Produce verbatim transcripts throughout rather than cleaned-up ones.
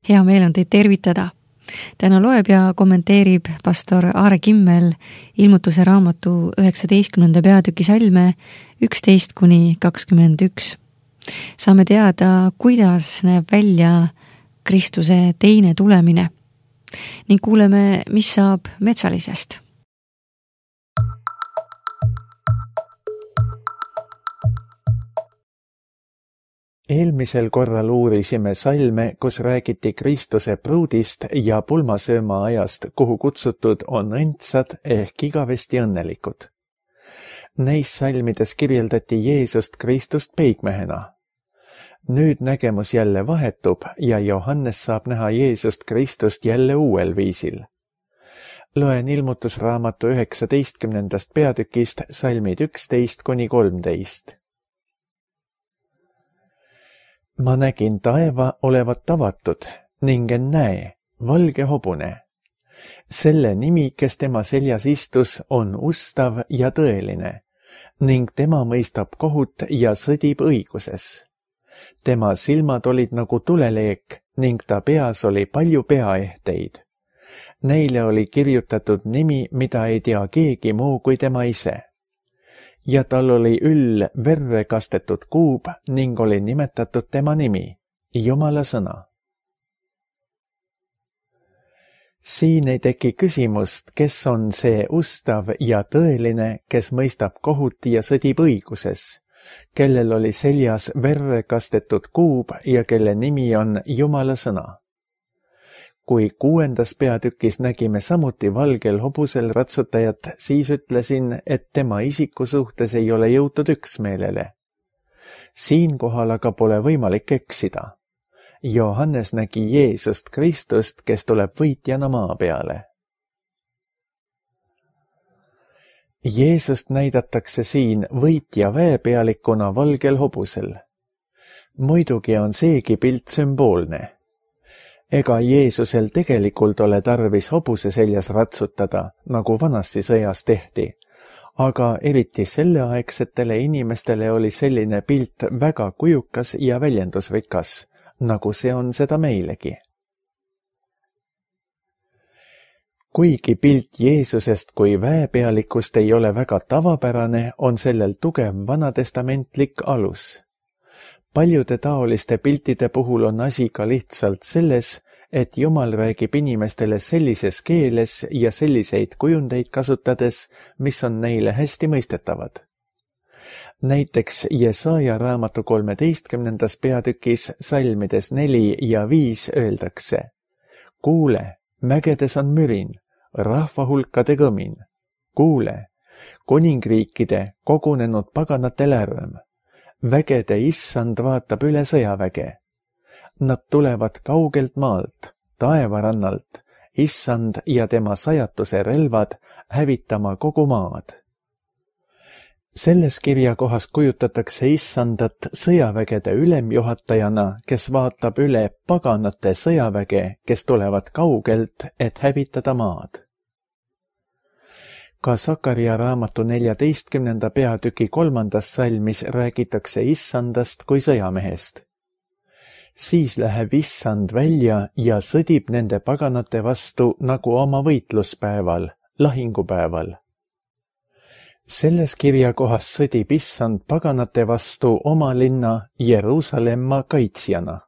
hea meel on teid tervitada. Täna loeb ja kommenteerib pastor Aare Kimmel ilmutuse raamatu üheksateistkümnenda peatüki salme üksteist kuni kakskümmend üks. Saame teada, kuidas näeb välja Kristuse teine tulemine ning kuuleme, mis saab metsalisest. Eelmisel korral uurisime salme, kus räägiti Kristuse pruudist ja pulmasööma ajast, kuhu kutsutud on õndsad ehk igavesti õnnelikud. Neis salmides kirjeldati Jeesust Kristust peigmehena. Nüüd nägemus jälle vahetub ja Johannes saab näha Jeesust Kristust jälle uuel viisil. Loen ilmutusraamatu üheksateistkümnendast peatükist salmid üksteist kuni kolmteist. Ma nägin taeva olevat avatud ning ennäe, valge hobune. Selle nimi, kes tema seljas istus, on ustav ja tõeline ning tema mõistab kohut ja sõdib õiguses. Tema silmad olid nagu tuleleek ning ta peas oli palju peaehteid. Neile oli kirjutatud nimi, mida ei tea keegi muu kui tema ise. Ja tal oli üll verre kastetud kuub ning oli nimetatud tema nimi, Jumala sõna. Siin ei teki küsimust, kes on see ustav ja tõeline, kes mõistab kohut ja sõdib õiguses, kellel oli seljas verre kastetud kuub ja kelle nimi on Jumala sõna. Kui kuuendas peatükis nägime samuti valgel hobusel ratsutajat, siis ütlesin, et tema isiku suhtes ei ole jõutud üksmeelele. Siinkohal aga pole võimalik eksida. Johannes nägi Jeesust Kristust, kes tuleb võitjana maa peale. Jeesust näidatakse siin võitja väepealikuna valgel hobusel. Muidugi on seegi pilt sümboolne. Ega Jeesusel tegelikult ole tarvis hobuse seljas ratsutada, nagu vanasti sõjas tehti, aga eriti selleaegsetele inimestele oli selline pilt väga kujukas ja väljendusrikas, nagu see on seda meilegi. Kuigi pilt Jeesusest kui väepealikust ei ole väga tavapärane, on sellel tugev vanatestamentlik alus. Paljude taoliste piltide puhul on asi ka lihtsalt selles, et Jumal räägib inimestele sellises keeles ja selliseid kujundeid kasutades, mis on neile hästi mõistetavad. Näiteks Jesaja raamatu kolmeteistkümnendas peatükis salmides neli ja viis öeldakse: Kuule, mägedes on mürin, rahvahulkade kõmin. Kuule, kuningriikide kogunenud paganate lärm. Vägede issand vaatab üle sõjaväge. Nad tulevad kaugelt maalt, taevarannalt, issand ja tema sajatuse relvad hävitama kogu maad. Selles kirjakohas kujutatakse issandat sõjavägede ülemjuhatajana, kes vaatab üle paganate sõjaväge, kes tulevad kaugelt, et hävitada maad. Ka Sakaria raamatu neljateistkümnenda peatüki kolmandas salmis räägitakse issandast kui sõjamehest. Siis läheb issand välja ja sõdib nende paganate vastu nagu oma võitluspäeval, lahingupäeval. Selles kirjakohas sõdib issand paganate vastu oma linna Jeruusalemma kaitsjana.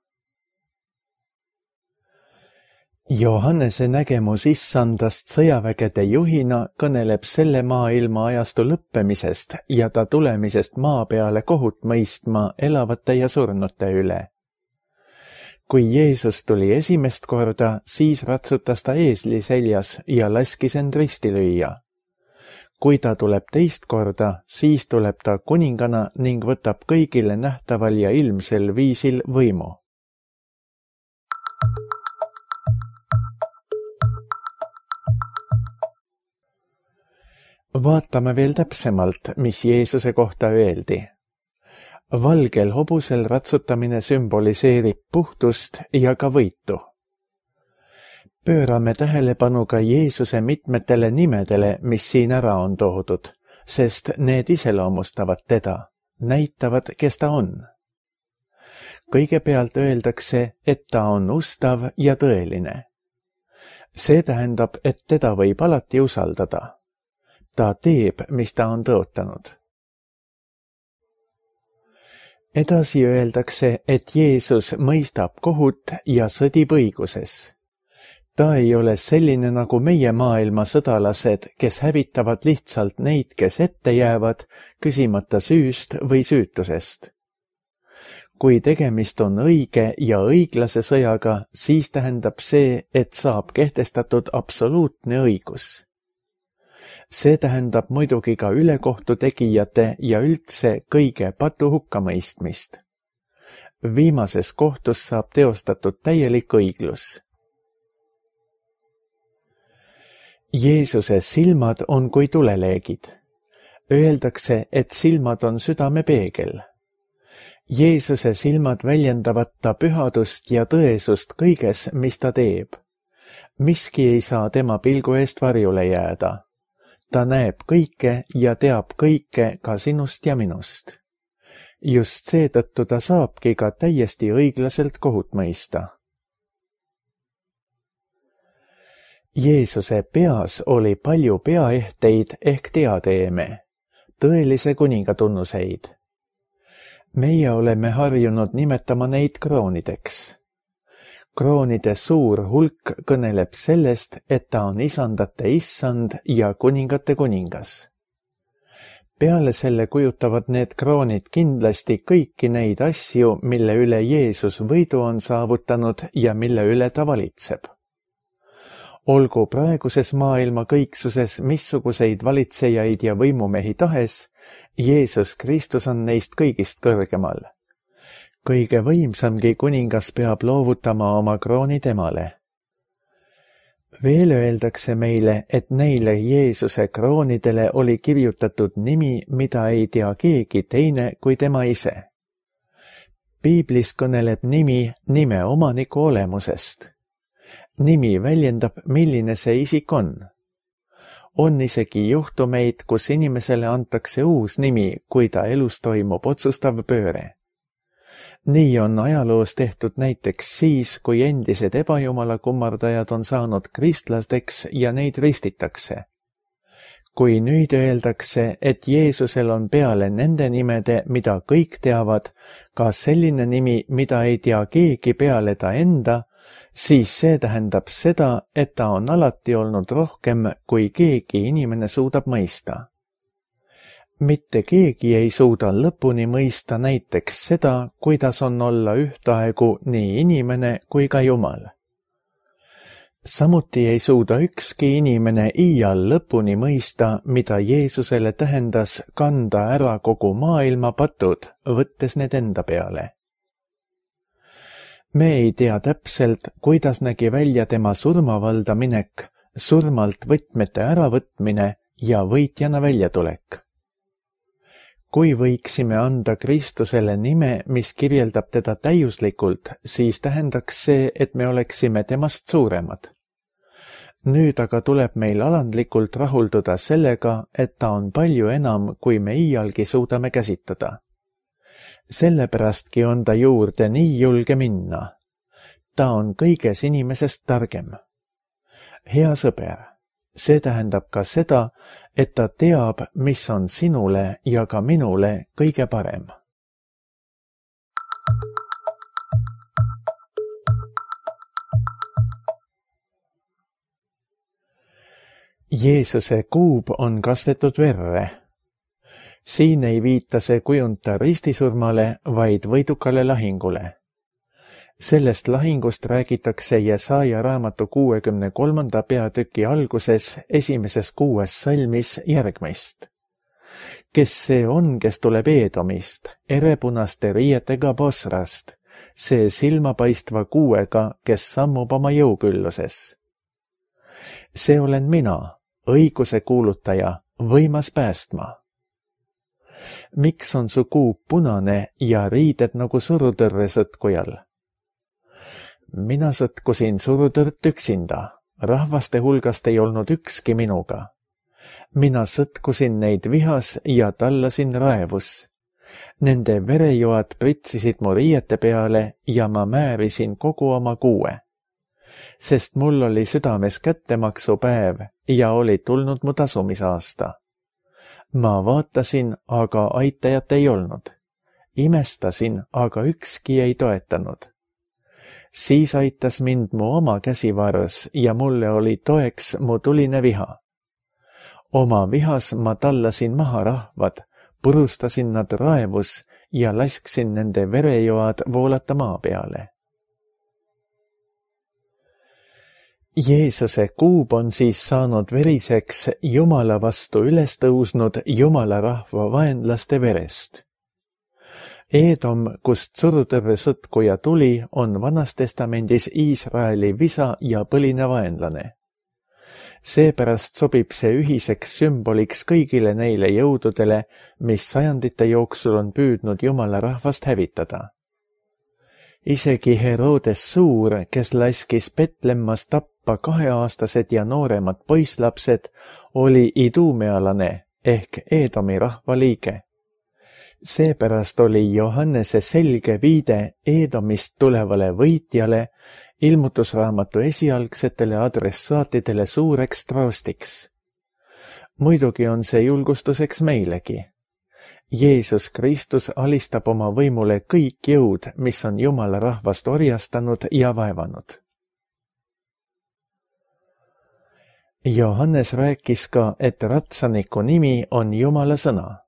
Johannese nägemus issandast sõjavägede juhina kõneleb selle maailma ajastu lõppemisest ja ta tulemisest maa peale kohut mõistma elavate ja surnute üle. Kui Jeesus tuli esimest korda, siis ratsutas ta eesli seljas ja laskis end risti lüüa. Kui ta tuleb teist korda, siis tuleb ta kuningana ning võtab kõigile nähtaval ja ilmsel viisil võimu. Vaatame veel täpsemalt, mis Jeesuse kohta öeldi. Valgel hobusel ratsutamine sümboliseerib puhtust ja ka võitu. Pöörame tähelepanu ka Jeesuse mitmetele nimedele, mis siin ära on toodud, sest need iseloomustavad teda, näitavad, kes ta on. kõigepealt öeldakse, et ta on ustav ja tõeline. See tähendab, et teda võib alati usaldada. Ta teeb, mis ta on tõotanud. Edasi öeldakse, et Jeesus mõistab kohut ja sõdib õiguses. Ta ei ole selline nagu meie maailma sõdalased, kes hävitavad lihtsalt neid, kes ette jäävad, küsimata süüst või süütusest. Kui tegemist on õige ja õiglase sõjaga, siis tähendab see, et saab kehtestatud absoluutne õigus. See tähendab muidugi ka ülekohtu tegijate ja üldse kõige patu hukkamõistmist. Viimases kohtus saab teostatud täielik õiglus. Jeesuse silmad on kui tuleleegid. Öeldakse, et silmad on südame peegel. Jeesuse silmad väljendavad ta pühadust ja tõesust kõiges, mis ta teeb. Miski ei saa tema pilgu eest varjule jääda. Ta näeb kõike ja teab kõike ka sinust ja minust. Just seetõttu ta saabki ka täiesti õiglaselt kohut mõista. Jeesuse peas oli palju peaehteid ehk diadeeme, tõelise kuninga tunnuseid. Meie oleme harjunud nimetama neid kroonideks. Kroonide suur hulk kõneleb sellest, et ta on isandate issand ja kuningate kuningas. Peale selle kujutavad need kroonid kindlasti kõiki neid asju, mille üle Jeesus võidu on saavutanud ja mille üle ta valitseb. Olgu praeguses maailma kõiksuses missuguseid valitsejaid ja võimumehi tahes, Jeesus Kristus on neist kõigist kõrgemal. Kõige võimsamgi kuningas peab loovutama oma krooni temale. Veel öeldakse meile, et neile Jeesuse kroonidele oli kirjutatud nimi, mida ei tea keegi teine kui tema ise. Piiblis kõneleb nimi nime omaniku olemusest. Nimi väljendab, milline see isik on. On isegi juhtumeid, kus inimesele antakse uus nimi, kui ta elus toimub otsustav pööre. Nii on ajaloos tehtud näiteks siis, kui endised ebajumala kummardajad on saanud kristlasteks ja neid ristitakse. Kui nüüd öeldakse, et Jeesusel on peale nende nimede, mida kõik teavad, ka selline nimi, mida ei tea keegi peale ta enda, siis see tähendab seda, et ta on alati olnud rohkem, kui keegi inimene suudab mõista. Mitte keegi ei suuda lõpuni mõista näiteks seda, kuidas on olla ühtaegu nii inimene kui ka Jumal. Samuti ei suuda ükski inimene iial lõpuni mõista, mida Jeesusele tähendas kanda ära kogu maailma patud, võttes need enda peale. Me ei tea täpselt, kuidas nägi välja tema surmavalda minek, surmalt võtmete äravõtmine ja võitjana väljatulek. Kui võiksime anda Kristusele nime, mis kirjeldab teda täiuslikult, siis tähendaks see, et me oleksime temast suuremad. Nüüd aga tuleb meil alandlikult rahulduda sellega, et ta on palju enam, kui me iialgi suudame käsitada. Sellepästki on ta juurde nii julge minna. Ta on kõiges inimesest targem. Hea sõber, see tähendab ka seda, et ta teab, mis on sinule ja ka minule kõige parem. Jeesuse kuub on kastetud verre. Siin ei viita see kujunta ristisurmale, vaid võidukale lahingule. Sellest lahingust räägitakse Jesaja raamatu kuuekümne kolmanda peatüki alguses esimeses kuues salmis järgmist. Kes see on, kes tuleb Eedomist, erepunaste riietega Bosrast, see silmapaistva kuuega, kes sammub oma jõukülluses. See olen mina, õiguse kuulutaja, võimas päästma. Miks on su kuub punane ja riided nagu surutõrre sõtkujal? Mina sõtkusin surutõrt üksinda, rahvaste hulgast ei olnud ükski minuga. Mina sõtkusin neid vihas ja tallasin raevus. Nende verejoad pritsisid mu riiete peale ja ma määrisin kogu oma kuue. Sest mul oli südames kättemaksupäev ja oli tulnud mu tasumisaasta. Ma vaatasin, aga aitajat ei olnud. Imestasin, aga ükski ei toetanud. Siis aitas mind mu oma käsivars ja mulle oli toeks mu tuline viha. Oma vihas ma tallasin maha rahvad, purustasin nad raevus ja lasksin nende verejoad voolata maa peale. Jeesuse kuub on siis saanud veriseks Jumala vastu üles tõusnud Jumala rahva vaenlaste verest. Eedom, kust surutõrve sõtkuja tuli, on Vanas Testamendis Iisraeli visa ja põline vaenlane. Seepärast sobib see ühiseks sümboliks kõigile neile jõududele, mis sajandite jooksul on püüdnud Jumala rahvast hävitada. Isegi Herodes Suur, kes laskis Betlemmas tappa kaheaastased ja nooremad poisslapsed, oli idumealane ehk Eedomi rahva liige. Seepärast oli Johannese selge viide Eedomist tulevale võitjale ilmutusraamatu esialgsetele adressaatidele suureks troostiks. Muidugi on see julgustuseks meilegi. Jeesus Kristus alistab oma võimule kõik jõud, mis on Jumala rahvast orjastanud ja vaevanud. Johannes rääkis ka, et ratsaniku nimi on Jumala sõna.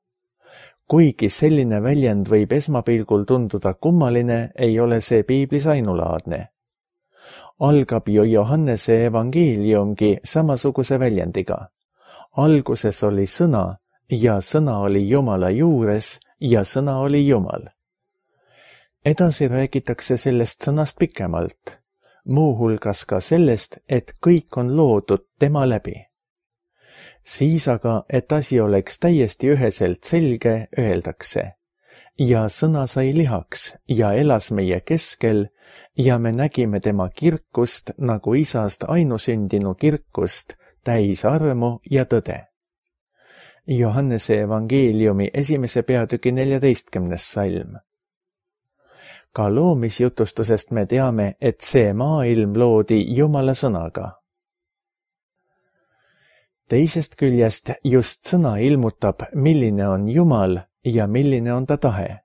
Kuigi selline väljend võib esmapilgul tunduda kummaline, ei ole see piiblis ainulaadne. Algab ju Johannese evangeeliumgi samasuguse väljendiga. Alguses oli sõna ja sõna oli Jumala juures ja sõna oli Jumal. Edasi räägitakse sellest sõnast pikemalt, muuhulgas ka sellest, et kõik on loodud tema läbi. Siis aga, et asi oleks täiesti üheselt selge, öeldakse, ja sõna sai lihaks ja elas meie keskel ja me nägime tema kirkust nagu isast ainusündinu kirkust, täis armu ja tõde. Johannese evangeeliumi esimese peatüki neljateistkümnes salm. Ka loomisjutustusest me teame, et see maailm loodi Jumala sõnaga. Teisest küljest just sõna ilmutab, milline on Jumal ja milline on ta tahe.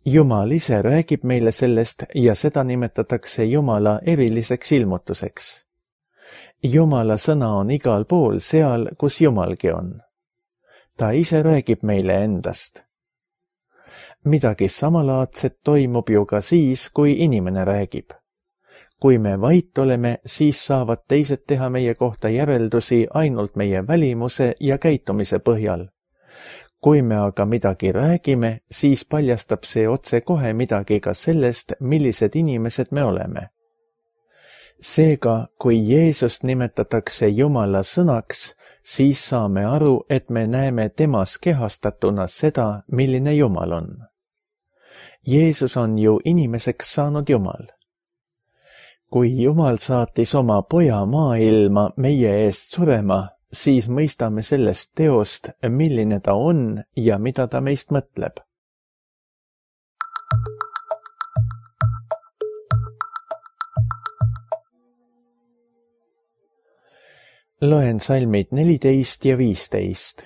Jumal ise räägib meile sellest ja seda nimetatakse Jumala eriliseks ilmutuseks. Jumala sõna on igal pool seal, kus Jumalgi on. Ta ise räägib meile endast. Midagi samalaadset toimub ju ka siis, kui inimene räägib. Kui me vait oleme, siis saavad teised teha meie kohta järeldusi ainult meie välimuse ja käitumise põhjal. Kui me aga midagi räägime, siis paljastab see otse kohe midagi ka sellest, millised inimesed me oleme. Seega, kui Jeesust nimetatakse Jumala sõnaks, siis saame aru, et me näeme temas kehastatuna seda, milline Jumal on. Jeesus on ju inimeseks saanud Jumal. Kui Jumal saatis oma poja maailma meie eest surema, siis mõistame sellest teost, milline ta on ja mida ta meist mõtleb. Loen salmid neliteist ja viisteist.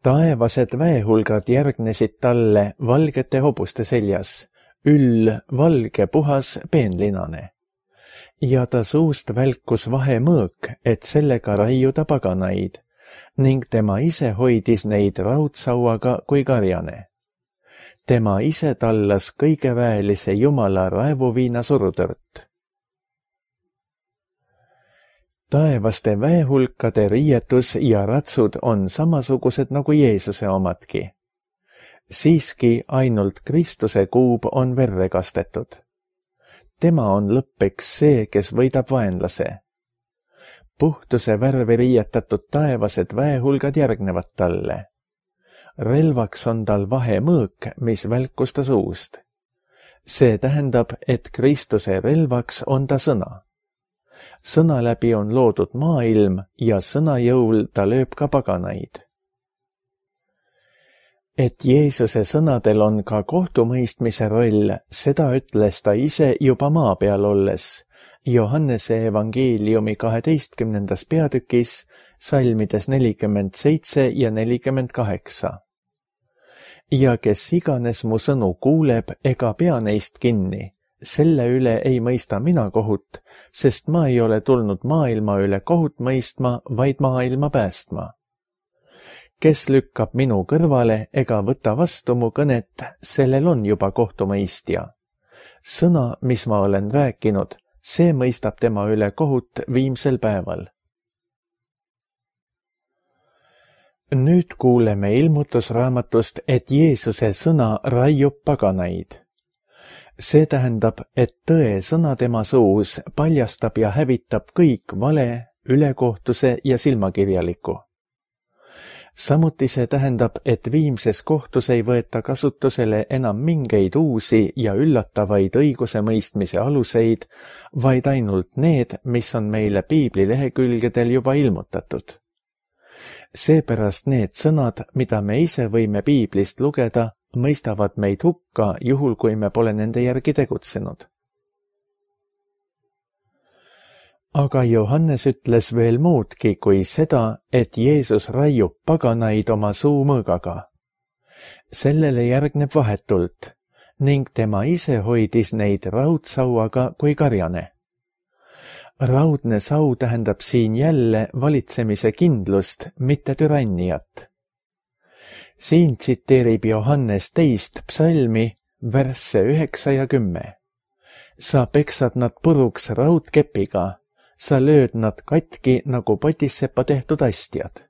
Taevased väehulgad järgnesid talle valgete hobuste seljas, üll valge puhas peenlinane. Ja ta suust välkus vahemõõk, et sellega raiuda paganaid, ning tema ise hoidis neid raudsauaga kui karjane. Tema ise tallas kõigeväelise Jumala raevuviina surutõrt. Taevaste väehulkade riietus ja ratsud on samasugused nagu Jeesuse omadki. Siiski ainult Kristuse kuub on verre kastetud. Tema on lõppeks see, kes võidab vaenlase. Puhtuse värvi riietatud taevased väehulgad järgnevad talle. Relvaks on tal vahemõõk, mis välkus ta suust. See tähendab, et Kristuse relvaks on ta sõna. Sõna läbi on loodud maailm ja sõna jõul ta lööb ka paganaid. Et Jeesuse sõnadel on ka kohtumõistmise roll, seda ütles ta ise juba maa peal olles, Johannese evangeeliumi kaheteistkümnendas peatükis, salmides nelikümmend seitse ja nelikümmend kaheksa. Ja kes iganes mu sõnu kuuleb ega pea neist kinni, selle üle ei mõista mina kohut, sest ma ei ole tulnud maailma üle kohut mõistma, vaid maailma päästma. Kes lükkab minu kõrvale ega võta vastu mu kõnet, sellel on juba kohtumõistja. Sõna, mis ma olen rääkinud, see mõistab tema üle kohut viimsel päeval. Nüüd kuuleme ilmutusraamatust, et Jeesuse sõna raiub paganaid. See tähendab, et tõe sõna tema suus paljastab ja hävitab kõik vale, ülekohtuse ja silmakirjaliku. Samuti see tähendab, et viimses kohtus ei võeta kasutusele enam mingeid uusi ja üllatavaid õiguse mõistmise aluseid, vaid ainult need, mis on meile piibli lehekülgedel juba ilmutatud. Seepärast need sõnad, mida me ise võime piiblist lugeda, mõistavad meid hukka, juhul kui me pole nende järgi tegutsenud. Aga Johannes ütles veel muudki kui seda, et Jeesus raiub paganaid oma suumõõgaga. Sellele järgneb vahetult ning tema ise hoidis neid raudsauaga kui karjane. Raudne sau tähendab siin jälle valitsemise kindlust, mitte türanniat. Siin tsiteerib Johannes teist psalmi, värsse üheksa ja kümme. Sa peksad nad puruks raudkepiga, sa lööd nad katki nagu potissepa tehtud astjad.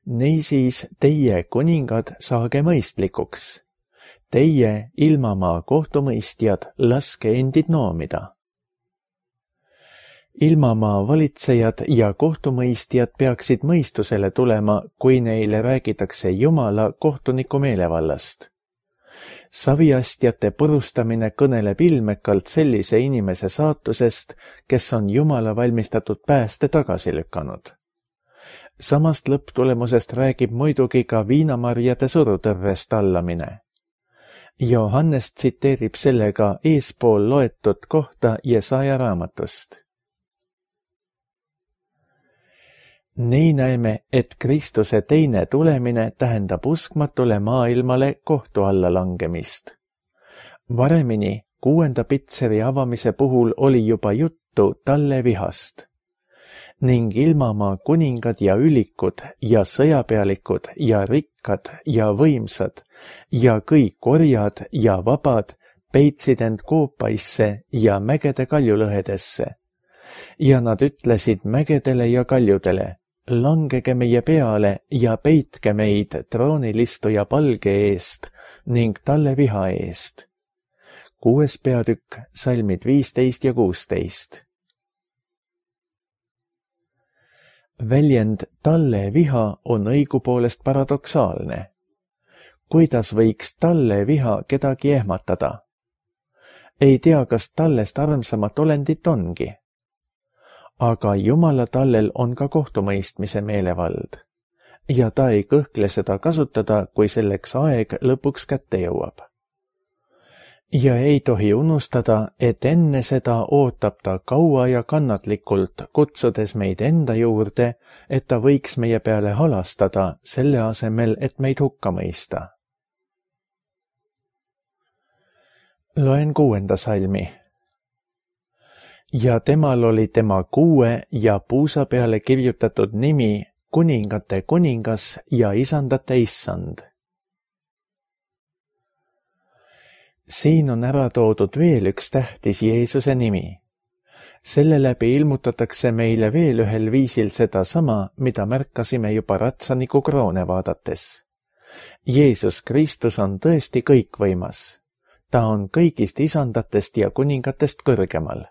Niisiis teie, kuningad, saage mõistlikuks. Teie, ilmamaa kohtumõistjad, laske endid noomida. Ilmamaa valitsejad ja kohtumõistjad peaksid mõistusele tulema, kui neile räägitakse Jumala kohtuniku meelevallast. Saviastjate purustamine kõneleb ilmekalt sellise inimese saatusest, kes on Jumala valmistatud pääste tagasi lükanud. Samast lõpptulemusest räägib muidugi ka viinamarjade surutõrrest allamine. Johannes tsiteerib sellega eespool loetud kohta Jesaja raamatust. Nii näeme, et Kristuse teine tulemine tähendab uskmatule maailmale kohtu alla langemist. Varemini, kuuenda pitseri avamise puhul oli juba juttu talle vihast. Ning ilmamaa kuningad ja ülikud ja sõjapealikud ja rikkad ja võimsad ja kõik orjad ja vabad peitsid end koopaisse ja mägede kaljulõhedesse. Ja nad ütlesid mägedele ja kaljudele, langege meie peale ja peitke meid troonilistuja palge eest ning talle viha eest. Kuues peatükk, salmid viisteist ja kuusteist. Väljend talle viha on õigupoolest paradoksaalne. Kuidas võiks talle viha kedagi ehmatada? Ei tea, kas tallest armsamat olendit ongi. Aga Jumala tallel on ka kohtumõistmise meelevald ja ta ei kõhkle seda kasutada, kui selleks aeg lõpuks kätte jõuab. Ja ei tohi unustada, et enne seda ootab ta kaua ja kannatlikult, kutsudes meid enda juurde, et ta võiks meie peale halastada, selle asemel, et meid hukka mõista. Loen kuuenda salmi. Ja temal oli tema kuue ja puusa peale kirjutatud nimi kuningate kuningas ja isandate issand. Siin on ära toodud veel üks tähtis Jeesuse nimi. Selle läbi ilmutatakse meile veel ühel viisil seda sama, mida märkasime juba ratsaniku kroone vaadates. Jeesus Kristus on tõesti kõikvõimas. Ta on kõigist isandatest ja kuningatest kõrgemal.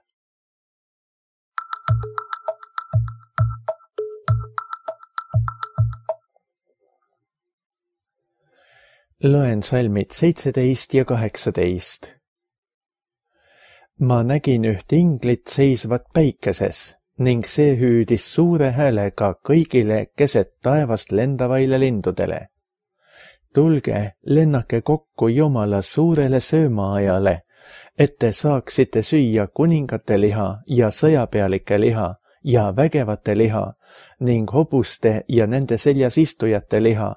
Loen salmid seitseteist ja kaheksateist. Ma nägin üht inglit seisvat päikeses ning see hüüdis suure häälega kõigile keset taevast lendavaile lindudele. tulge, lennake kokku Jumala suurele söömaajale, et te saaksite süüa kuningate liha ja sõjapealike liha ja vägevate liha ning hobuste ja nende seljas istujate liha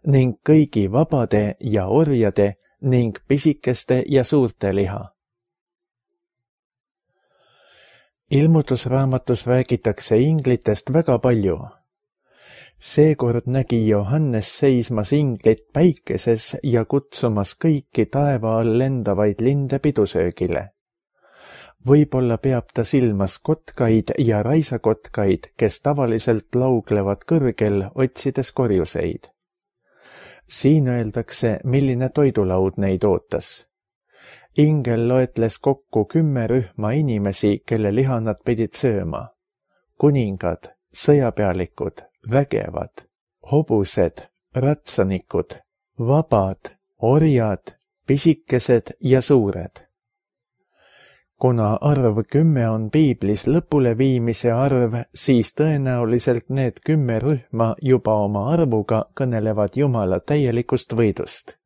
ning kõigi vabade ja orjade ning pisikeste ja suurte liha. Ilmutusraamatus räägitakse inglitest väga palju. Seekord nägi Johannes seismas inglit päikeses ja kutsumas kõiki taeva all lendavaid linde pidusöögile. Võib-olla peab ta silmas kotkaid ja raisakotkaid, kes tavaliselt lauglevad kõrgel, otsides korjuseid. Siin öeldakse, milline toidulaud neid ootas. Ingel loetles kokku kümme rühma inimesi, kelle liha nad pidid sööma. Kuningad, sõjapealikud, vägevad, hobused, ratsanikud, vabad, orjad, pisikesed ja suured. Kuna arv kümme on piiblis lõpuleviimise arv, siis tõenäoliselt need kümme rühma juba oma arvuga kõnelevad Jumala täielikust võidust.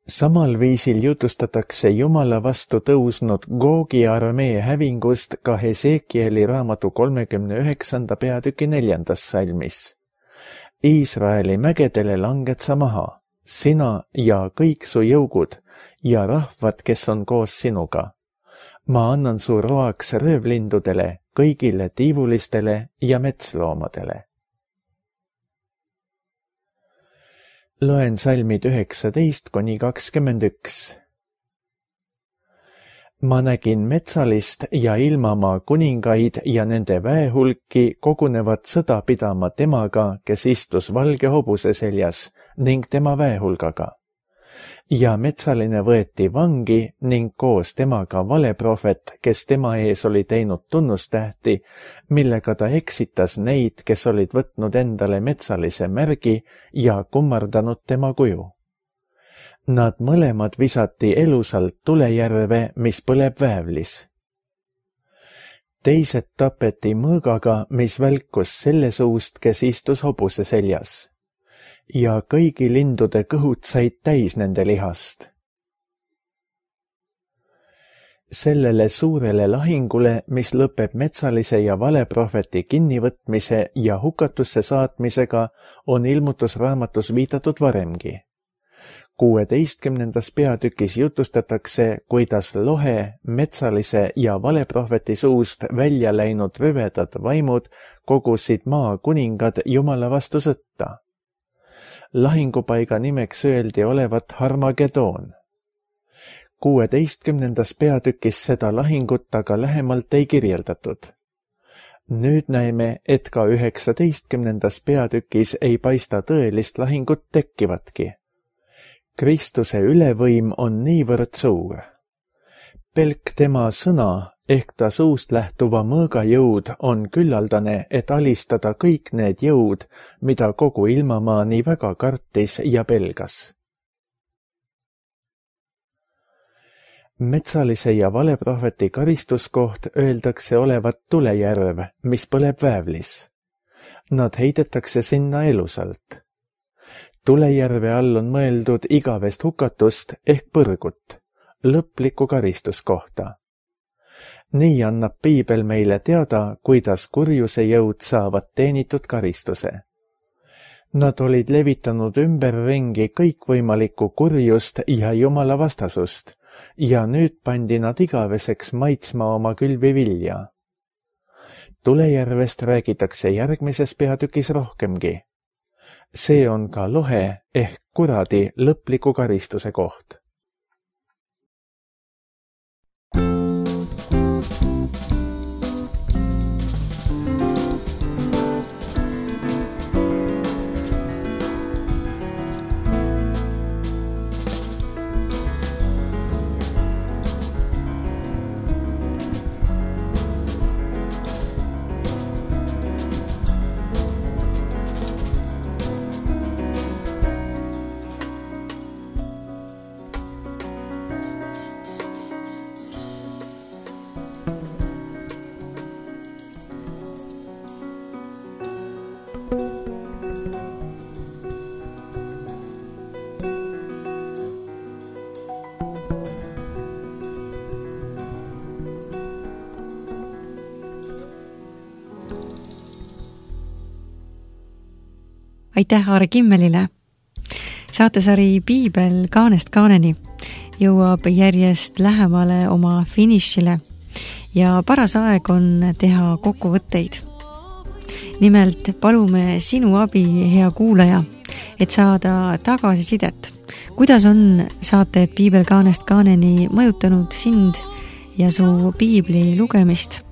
Samal viisil jutustatakse Jumala vastu tõusnud Googi armee hävingust ka Hesekieli raamatu kolmekümne üheksanda peatüki neljandas salmis. Iisraeli mägedele langed sa maha, sina ja kõik su jõugud ja rahvad, kes on koos sinuga. Ma annan su roaks röövlindudele, kõigile tiivulistele ja metsloomadele. Loen salmid üheksateist kuni kakskümmend üks. Ma nägin metsalist ja ilmamaa kuningaid ja nende väehulki kogunevad sõda pidama temaga, kes istus valge hobuse seljas ning tema väehulgaga. Ja metsaline võeti vangi ning koos temaga valeprohvet, kes tema ees oli teinud tunnustähti, millega ta eksitas neid, kes olid võtnud endale metsalise märgi ja kummardanud tema kuju. Nad mõlemad visati elusalt tulejärve, mis põleb väävlis. Teised tapeti mõõgaga, mis välkus selle suust, kes istus hobuse seljas. Ja kõigi lindude kõhud said täis nende lihast. Sellele suurele lahingule, mis lõpeb metsalise ja valeprohveti kinnivõtmise ja hukatusse saatmisega, on ilmutusraamatus viidatud varemgi. kuueteistkümnendas peatükis jutustatakse, kuidas lohe, metsalise ja valeprohveti suust välja läinud rüvedad vaimud kogusid maa kuningad Jumala vastu sõtta. Lahingupaiga nimeks öeldi olevat Harmagedoon. kuueteistkümnendas peatükis seda lahingut aga lähemalt ei kirjeldatud. Nüüd näeme, et ka üheksateistkümnendas peatükis ei paista tõelist lahingut tekkivatki. Kristuse ülevõim on niivõrd suur. Pelk tema sõna ehk ta suust lähtuva mõõga jõud on küllaldane, et alistada kõik need jõud, mida kogu ilmamaa nii väga kartis ja pelgas. Metsalise ja valeprohveti karistuskoht öeldakse olevat tulejärv, mis põleb väävlis. Nad heidetakse sinna elusalt. Tulejärve all on mõeldud igavest hukatust ehk põrgut, lõplikku karistuskohta. Nii annab piibel meile teada, kuidas kurjuse jõud saavad teenitud karistuse. Nad olid levitanud ümberringi kõikvõimalikku kurjust ja Jumala vastasust ja nüüd pandi nad igaveseks maitsma oma külvivilja. Tulejärvest räägitakse järgmises peatükis rohkemgi. See on ka lohe ehk kuradi lõpliku karistuse koht. aitäh Aare Kimmelile! Saatesari Piibel kaanest kaaneni jõuab järjest lähemale oma finišile ja paras aeg on teha kokkuvõtteid. Nimelt palume sinu abi, hea kuulaja, et saada tagasisidet. Kuidas on saated Piibel kaanest kaaneni mõjutanud sind ja su piibli lugemist?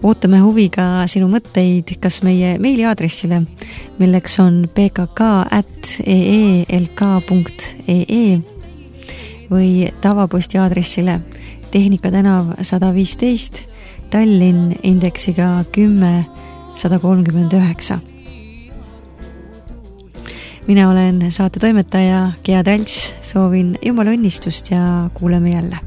Ootame huviga sinu mõtteid kas meie meiliaadressile, milleks on p k k at e e l k punkt e e või tavaposti aadressile Tehnika tänav sada viisteist, Tallinn indeksiga kümme sada kolmkümmend üheksa. Mina olen saate toimetaja Gea Talts, soovin Jumala õnnistust ja kuuleme jälle.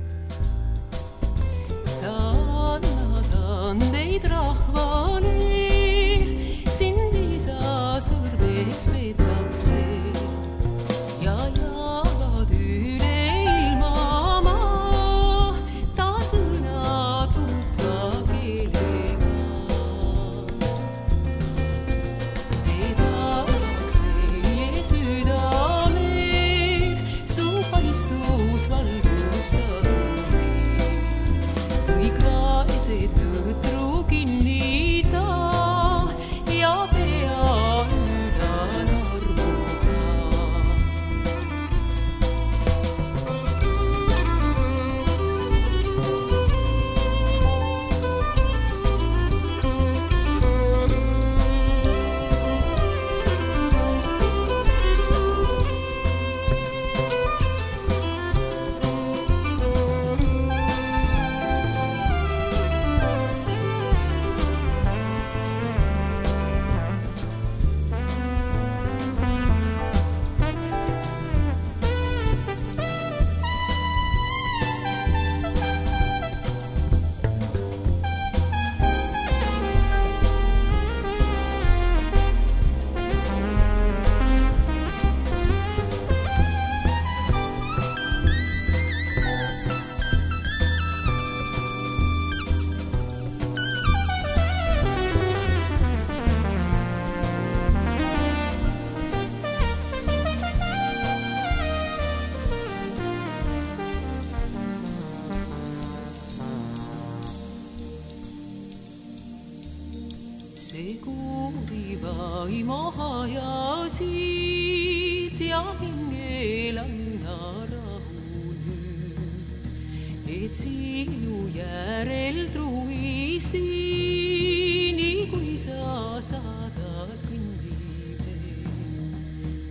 See kuuli vaimo hajasid ja hingel anna rahu nüüd, et sinu järel truisti, nii kui sa saadad kõnnile.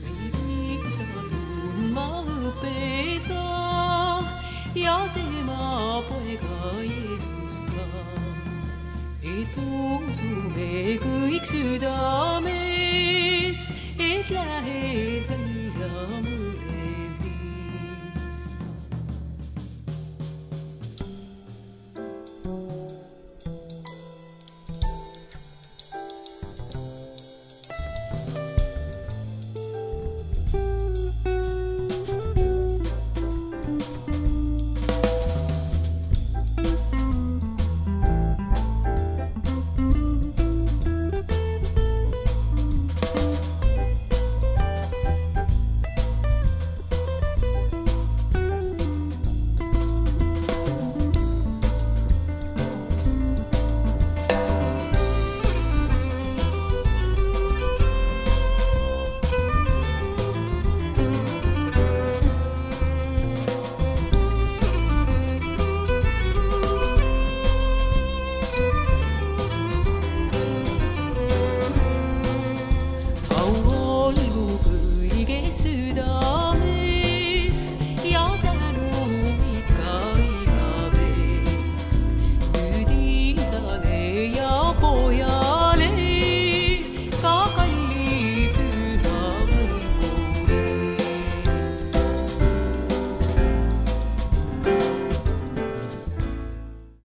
Meil viisa tundma õpeta ja tema poega Jeesust ka. Et usume kõik südamest, et lähe